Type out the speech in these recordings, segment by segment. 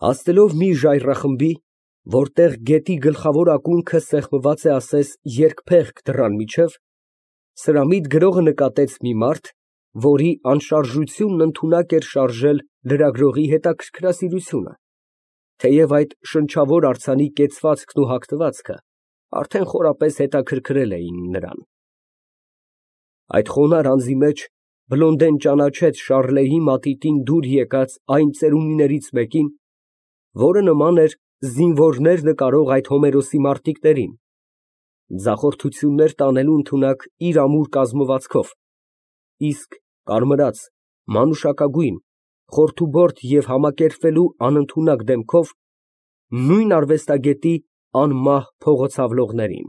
Հասնելով մի ժայռախմբի, որտեղ գետի գլխավոր ակունքը սեղմված է ասես երկփեղկ դռան միջև, սրամիտ գրողը նկատեց մի մարդ, որի անշարժությունն ընդունակ էր շարժել լրագրողի հետաքրքրասիրությունը, թեև այդ շնչավոր արձանի կեցվածքն ու հագնվածքը արդեն խորապես հետաքրքրել էին նրան։ Այդ խոնարհ անձի մեջ Բլոնդեն ճանաչեց Շառլեի մատիտին դուր եկած այն ծերունիներից մեկին, որը նման էր զինվորներ նկարող այդ Հոմերոսի մարտիկներին, ձախորդություններ տանելու ընդունակ իր ամուր կազմվածքով, իսկ կարմրած, մանուշակագույն, խորթուբորդ և համակերպվելու անընդունակ դեմքով նույն արվեստագետի անմահ փողոցավլողներին։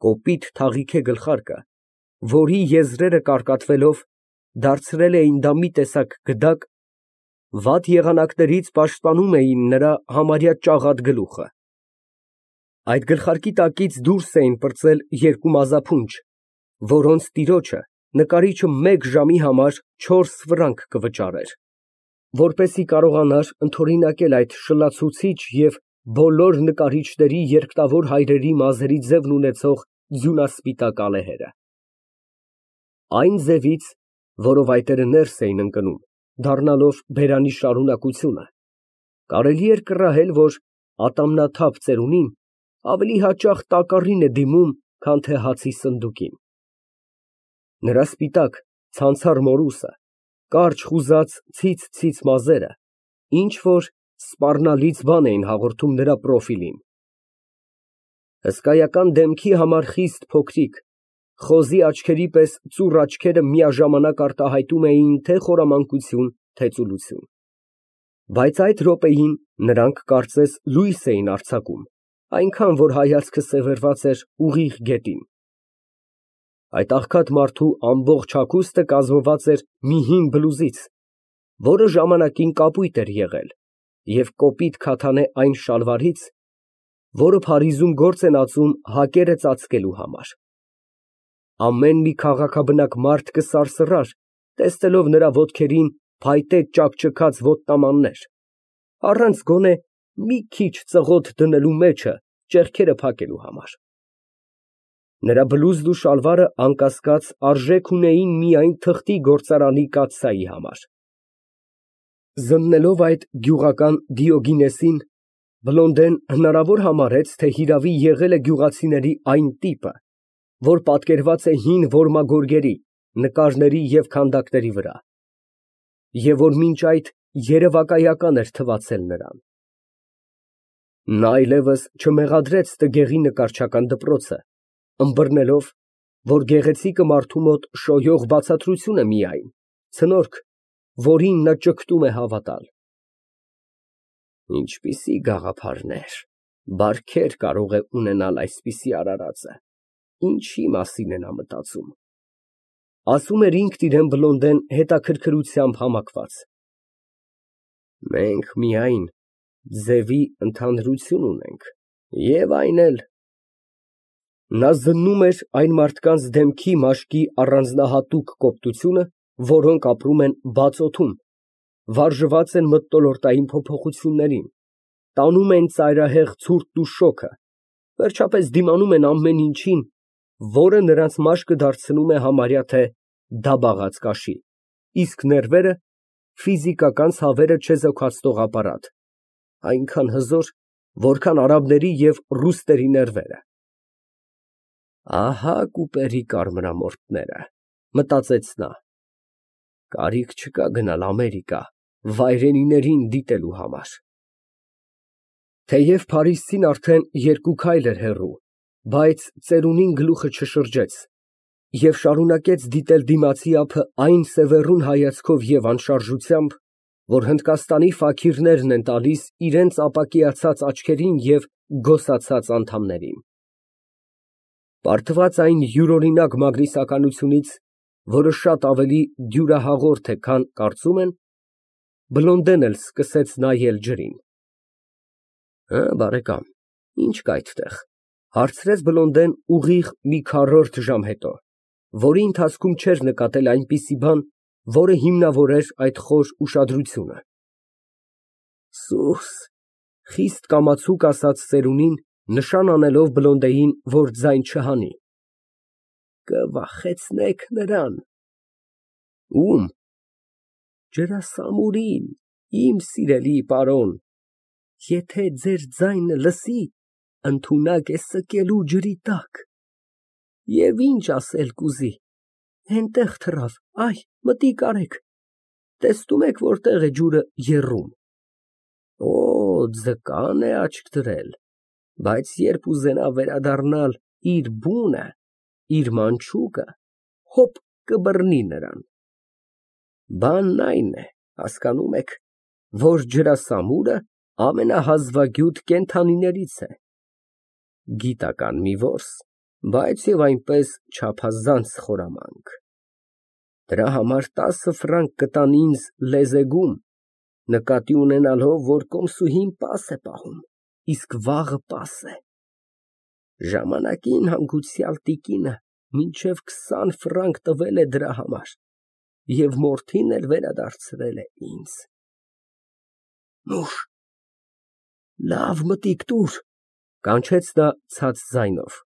Կոպիտ թաղիքե գլխարկը, որի եզրերը կարկատվելով դարձրել էին դա մի տեսակ գդակ, վատ եղանակներից պաշտպանում էին նրա համարյա ճաղատ գլուխը։ Այդ գլխարկի տակից դուրս էին պրծել երկու մազափունջ, որոնց տիրոջը նկարիչը մեկ ժամի համար 4 ֆրանկ կվճարեր, որպեսզի կարողանար ընդօրինակել այդ շլացուցիչ և բոլոր նկարիչների երկտավոր հայրերի մազերի ձևն ունեցող ձյունասպիտակ ալեհերը։ Այն ձևից, որով այտերը ներս էին ընկնում, դառնալով բերանի շարունակությունը, կարելի էր կռահել, որ ատամնաթափ ծերունին ավելի հաճախ տակառին է դիմում, քան թե հացի սնդուկին։ Նրա սպիտակ, ցանցառ մորուսը, կարճ խուզած ցից մազերը ինչ֊որ սպառնալից բան էին հաղորդում նրա պրոֆիլին։ Հսկայական դեմքի համար խիստ փոքրիկ, խոզի աչքերի պես ծուռ աչքերը միաժամանակ արտահայտում էին թե խորամանկություն, թե ծուլություն, բայց այդ րոպեին նրանք կարծես լույս էին արձակում, այնքան որ հայացքը սևեռված էր ուղիղ գետին։ Այդ աղքատ մարդու ամբողջ հագուստը կազմված էր մի հին բլուզից, որը ժամանակին կապույտ էր եղել, և կոպիտ քաթանե այն շալվարից, որը Փարիզում գործ են ածում հակերը ծածկելու համար։ Ամեն մի քաղաքաբնակ մարդ կսարսռար, տեսնելով նրա ոտքերին փայտե ճաքճքած ոտնամաններ, առանց գոնե մի քիչ ծղոտ դնելու մեջը ճեղքերը փակելու համար։ Նրա բլուզն ու շալվարը անկասկած արժեք ունեին միայն թղթի գործարանի կաթսայի համար։ Զննելով այդ գյուղական Դիոգինեսին, Բլոնդեն հնարավոր համարեց, թե հիրավի եղել է գյուղացիների այն տիպը, որ պատկերված է հին որմագորգերի, նկարների և քանդակների վրա, և որ մինչ այդ երևակայական էր թվացել նրան։ Նա այլևս չմեղադրեց տգեղի նկարչական դպրոցը, ըմբռնելով, որ գեղեցիկը մարդու մոտ շոյող բացատրություն է միայն, ցնորք, որին նա ճկտում է հավատալ։ Ինչպիսի գաղափարներ, բարքեր կարող է ունենալ այսպիսի արարածը, ինչի մասին է նա մտածում, ասում էր ինքն իրան Բլոնդեն հետաքրքրությամբ համակված։ Մենք միայն ձևի ընդհանրություն ունենք, և այն էլ… Նա զննում էր այն մարդկանց դեմքի մաշկի առանձնահատուկ կոպտությունը, որոնք ապրում են բաց օդում, վարժված են մթնոլորտային փոփոխություններին, տանում են ծայրահեղ ցուրտն ու շոգը, վերջապես դիմանում են ամեն ինչին, որը նրանց մաշկը դարձնում է համարյա թե դաբաղած կաշի, իսկ ներվերը ֆիզիկական ցավերը չեզոքացնող ապարատ, այնքան հզոր, որքան արաբների և ռուսների ներվերը։ Ահա կուպերի կարմրամորթները, մտածեց նա, կարիք չկա գնալ Ամերիկա վայրենիներին դիտելու համար։ Թեև փարիզցին արդեն 2 քայլ էր հեռու, բայց ծերունին գլուխը չշրջեց և շարունակեց դիտել դիմացի ափը այն սևեռուն հայացքով և անշարժությամբ, որ Հնդկաստանի ֆաքիրներն են տալիս իրենց ապակիացած աչքերին և գոսացած անդամներին։ Պարտված այն յուրօրինակ մագնիսականությունից, որը շատ ավելի դյուրահաղորդ է, քան կարծում են, Բլոնդեն էլ սկսեց նայել ջրին։ Բարեկամ, ի՞նչ կա այդտեղ, ֊ հարցրեց Բլոնդեն ուղիղ մի քառորդ ժամ հետո, որի ընթացքում չէր նկատել այնպիսի բան, որը հիմնավորեր այդ խոր ուշադրությունը։ Սուս, խիստ կամացուկ ասաց ծերունին, նշան անելով Բլոնդեին, որ ձայն չհանի։ Կվախեցնեք նրան։ Ում։ Ջրասամուրին, իմ սիրելի պարոն, եթե ձեր ձայնը լսի, ընդունակ է սկելու ջրի տակ։ Եվ ինչ ասել կուզի, հենտեղ թռավ, այ, մտիկ արեք, տեսնում եք որտեղ է ջուրը եռում։ Օ, ձկան է աչք դրել, բայց երբ ուզենա վերադառնալ իր բունը, իր մանչուկը, հոպ կբռնի նրան։ Բանն այն է, հասկանում եք, որ ջրասամուրը ամենահազվագյուտ կենդանիներից է։ Գիտական մի որս, բայց և այնպես չափազանց խորամանկ։ Դրա համար 10 ֆրանկ կտան ինձ լեզեգում, նկատի ունենալով, որ կոմսուհին պաս է պահում, իսկ վաղը պաս է։ Ժամանակին հանգուցյալ տիկինը մինչև 20 ֆրանկ տվել է դրա համար և մորթին էլ վերադարձրել է ինձ։ Նուշ, լավ մտիկ տուր, կանչեց նա ցած ձայնով։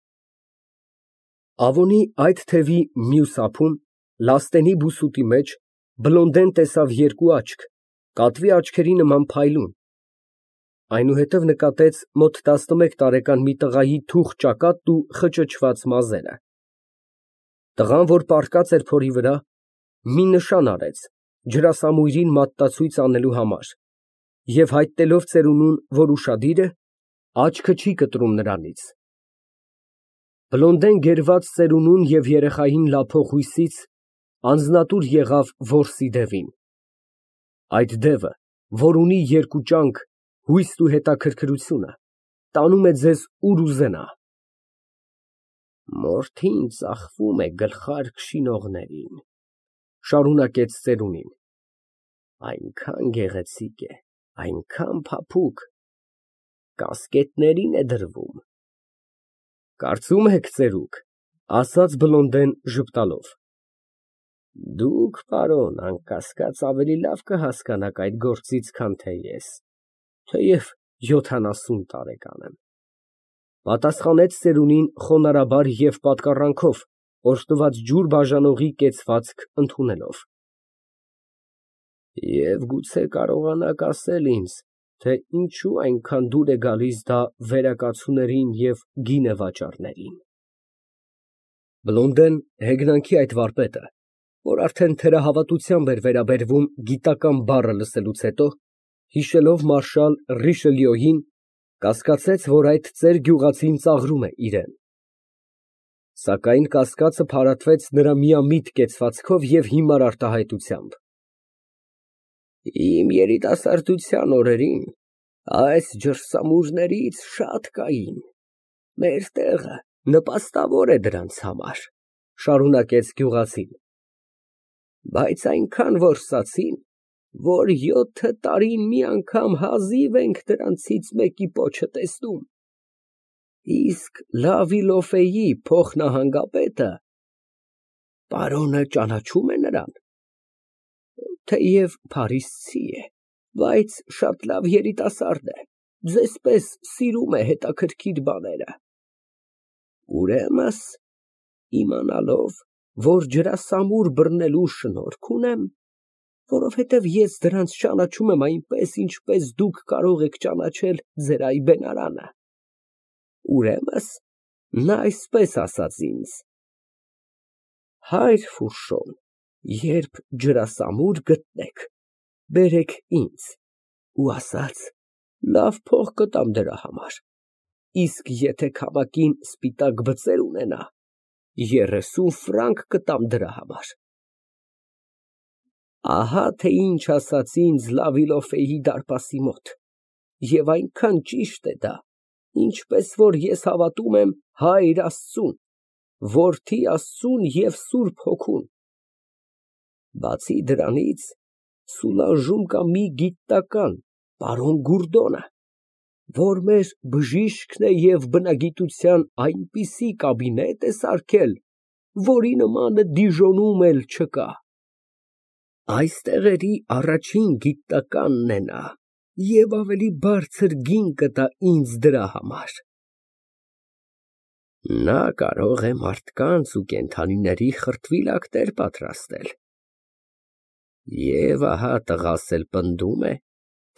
Ավոնի այդ թևի մյուս ափում, լաստենի բուսուտի մեջ, Բլոնդեն տեսավ երկու աչք, կատվի աչքերի նման փայլուն, այնուհետև նկատեց մոտ 11 տարեկան մի տղայի թուխ ճակատն ու խճճված մազերը։ Տղան, որ պառկած էր փորի վրա, մի նշան արեց ջրասամույրին մատտացույց անելու համար և հայտնելով ծերունուն, որ ուշադիր է, աչքը չի կտրում նրանից։ Բլոնդեն գերված ծերունուն և երեխային լափող հույսից անձնատուր եղավ որսի դևին։ Այդ դևը, որ ունի երկու ճանք, հույսն ու հետաքրքրությունը, տանում է ձեզ ուր ուզենա։ Մորթին ծախվում է գլխարկ շինողներին, շարունակեց ծերունին, այնքան գեղեցիկ է, այնքան փափուկ, կասկետներին է դրվում։ Կարծում եք, ծերուկ, ասաց Բլոնդեն ժպտալով։ Դուք, պարոն, անկասկած ավելի լավ կհասկանաք այդ գործից, քան թե ես, թեև 70 տարեկան եմ, պատասխանեց ծերունին խոնարհաբար և պատկառանքով, օժտված ջուր բաժանողի կեցվածք ընդունելով։ Եվ գուցե կարողանաք ասել ինձ, թե ինչու այնքան դուր է գալիս դա վերակացուներին և գինեվաճառներին։ Բլոնդեն հեգնանքի այդ վարպետը, որ արդեն թերահավատությամբ էր վերաբերվում գիտական բառը լսելուց հետո, հիշելով մարշալ Ռիշելյոյին, կասկածեց, որ այդ ծեր գյուղացին ծաղրում է իրան։ Սակայն կասկածը փարատվեց նրա միամիտ կեցվածքով և հիմար արտահայտությամբ։ Իմ երիտասարդության օրերին այս ջրսամուրներից շատ կային, մեր տեղը նպաստավոր է դրանց համար, շարունակեց գյուղացին, բայց այնքան որսացին, որ 7 տարին մի անգամ հազիվ ենք դրանցից մեկի պոչը տեսնում, իսկ Լավիլոֆեի փոխնահանգապետը, պարոնը ճանաչում է նրան, թեև փարիսցի է, բայց շատ լավ երիտասարդ է, ձեզ պես սիրում է հետաքրքիր բաները։ Ուրեմն, իմանալով, որ ջրասամուր բռնելու շնորք ունեմ, որովհետև ես դրանց ճանաչում եմ այնպես, ինչպես դուք կարող եք ճանաչել ձեր այբենարանը, ուրեմն, նա այսպես ասաց ինձ. Հայր Ֆուշոն, երբ ջրասամուր գտնեք, բերեք ինձ, ու ասաց, լավ փող կտամ դրա համար, իսկ եթե քամակին սպիտակ բծեր ունենա, 30 ֆրանկ կտամ դրա համար։ Ահա թե ինչ ասաց ինձ Լավիլոֆեի դարպասի մոտ, և այնքան ճիշտ է դա, ինչպես որ ես հավատում եմ Հայր Աստծուն, Որդի Աստծուն և Սուրբ Հոգուն։ Բացի դրանից, Սուլանժում կա մի գիտնական, պարոն Գուրդոնը, որ մեր բժիշկն է և բնագիտության այնպիսի կաբինետ է սարքել, որի նմանը Դիժոնում էլ չկա։ Այս տեղերի առաջին գիտնականն է նա, Եվ ավելի բարձր գին կտա ինձ դրա համար։ Նա կարող է մարդկանց ու կենդանիների խրտվիլակներ պատրաստել։ Եվ ահա տղաս էլ պնդում է,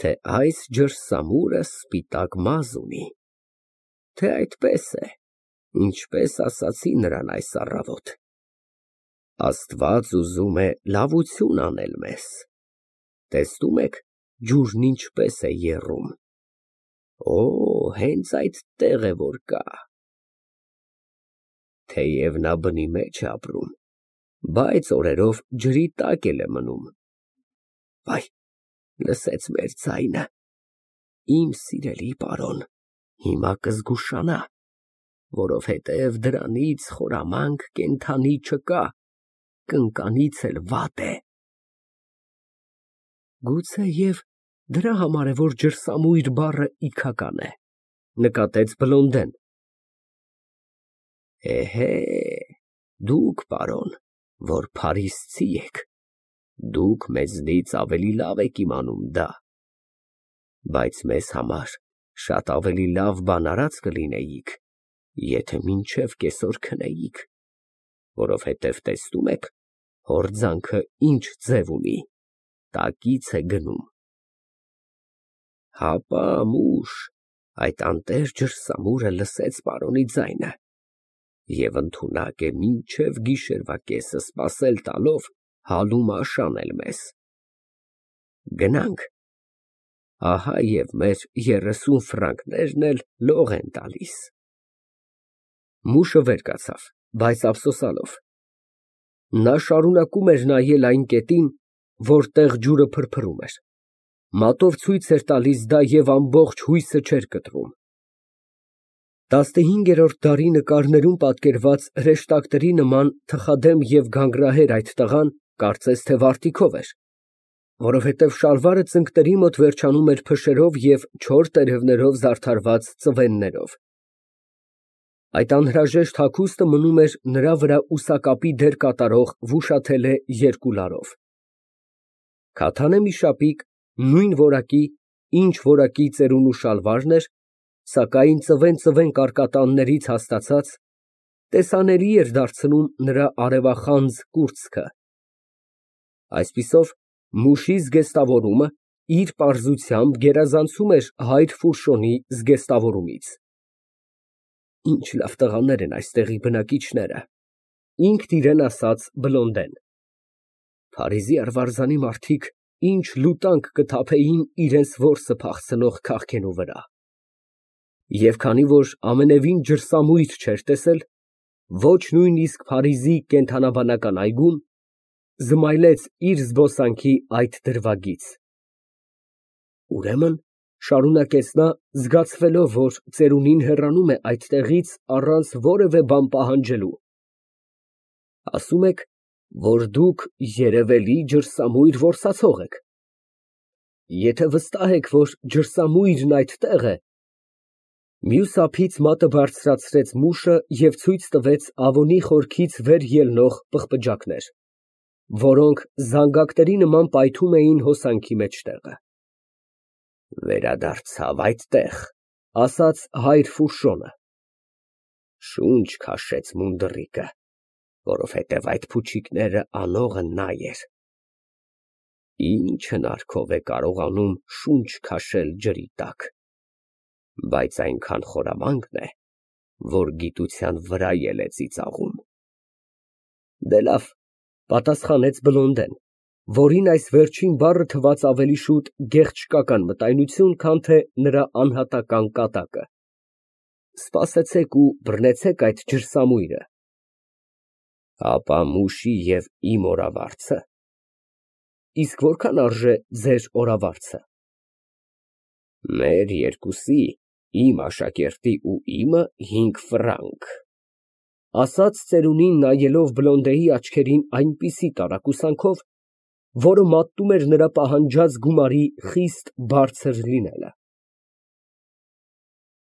թե այս ջրսամուրը սպիտակ մազ ունի, թե այդպես է, ինչպես ասացի նրան այս առավոտ։ Աստված ուզում է լավություն անել մեզ։ Տեսնում եք, ջուրն ինչպես է եռում։ Օ, հենց այդտեղ է որ կա։ Թեև նա բնի մեջ է ապրում, բայց օրերով ջրի տակ էլ է մնում։ Վայ, լսեց մեր ձայնը։ Իմ սիրելի պարոն, հիմա կզգուշանա, որովհետև դրանից խորամանկ կենդանի չկա, կնկանից էլ վատ է։ Գուցեև դրա համար է, որ ջրսամույր բառը իգական է, նկատեց Բլոնդեն։ Էհե, դուք, պարոն, որ փարիսցի եք, դուք մեզնից ավելի լավ եք իմանում դա, բայց մեզ համար շատ ավելի լավ բան արած կլինեիք, եթե մինչև կեսօր քնեիք, որովհետև տեսնում եք, հորձանքը ինչ ձև ունի, տակից է գնում։ Հապա մուշ, այդ անտեր ջրսամուրը լսեց պարոնի ձայնը և ընդունակ է մինչև գիշերվա կեսը սպասել տալով հալում աշանել մեզ։ Գնանք, ահա և մեր 30 ֆրանկներն էլ լող են տալիս։ Մուշը վեր կացավ, բայց ափսոսանալով։ Նա շարունակում էր նայել այն կետին, որտեղ ջուրը փրփրում էր, մատով ցույց էր տալիս դա և ամբողջ հույսը չէր կտրում։ 15-րդ դարի նկարներում պատկերված հրեշտակների նման թխադեմ և գանգրահեր այդ տղան, կարծես թե վարտիքով էր, որովհետև շալվարը ծնկների մոտ վերջանում էր փշերով և չոր տերևներով զարդարված ծվեններով։ Այդ անհրաժեշտ հագուստը մնում էր նրա վրա ուսակապի դեր կատարող վուշաթելե երկու լարով։ Քաթանե մի շապիկ, նույն որակի, ինչ որակի ծերունու շալվարն էր, սակայն ծվեն կարկատաններից հաստացած, տեսանելի էր դարձնում նրա արևախանձ կուրծքը։ Այսպիսով, մուշի զգեստավորումը իր պարզությամբ գերազանցում էր հայր Ֆուշոնի զգեստավորումից։ Ինչ լավ տղաներ են այստեղի բնակիչները, ինքն իրեն ասաց Բլոնդեն։ Փարիզի արվարձանի մարդիկ ինչ լուտանք կթափեին իրենց որսը փախցնող քաղքենու վրա։ Եվ քանի որ ամենևին ջրսամույր չէր տեսել, ոչ նույնիսկ Փարիզի կենդանաբանական այգում, զմայլեց իր զբոսանքի այդ դրվագից։ Ուրեմն, շարունակեց նա, զգացվելով, որ ծերունին հեռանում է այդտեղից առանց որևէ բան պահանջելու, ասում եք, որ դուք երևելի ջրսամույր որսացող եք։ Եթե վստահ եք, որ ջրսամույրն այդտեղ է, մյուս ափից մատը բարձրացրեց մուշը և ցույց տվեց ավոնի խորքից վեր ելնող պղպջակներ, որոնք զանգակների նման պայթում էին հոսանքի մեջտեղը։ Վերադարձավ այդտեղ, ասաց հայր Ֆուշոնը, շունչ քաշեց մունդռիկը, որովհետև այդ փուչիկները անողը նա էր։ Ինչ հնարքով է կարողանում շունչ քաշել ջրի տակ, բայց այնքան խորամանկն է, որ գիտության վրա էլ է ծիծաղում։ Դե լավ, պատասխանեց Բլոնդեն, որին այս վերջին բառը թվաց ավելի շուտ գեղչկական մտայնություն, քան թե նրա անհատական կատակը։ Սպասեցեք ու բռնեցեք այդ ջրսամույրը։ Հապա մուշի և իմ օրավարձը։ Իսկ որքան արժե ձեր օրավարձը։ Մեր երկուսի, իմ աշակերտի ու իմը 5 ֆրանկ, ասաց ծերունին նայելով Բլոնդեի աչքերին այնպիսի տարակուսանքով, որը մատնում էր նրա պահանջած գումարի խիստ բարձր լինելը։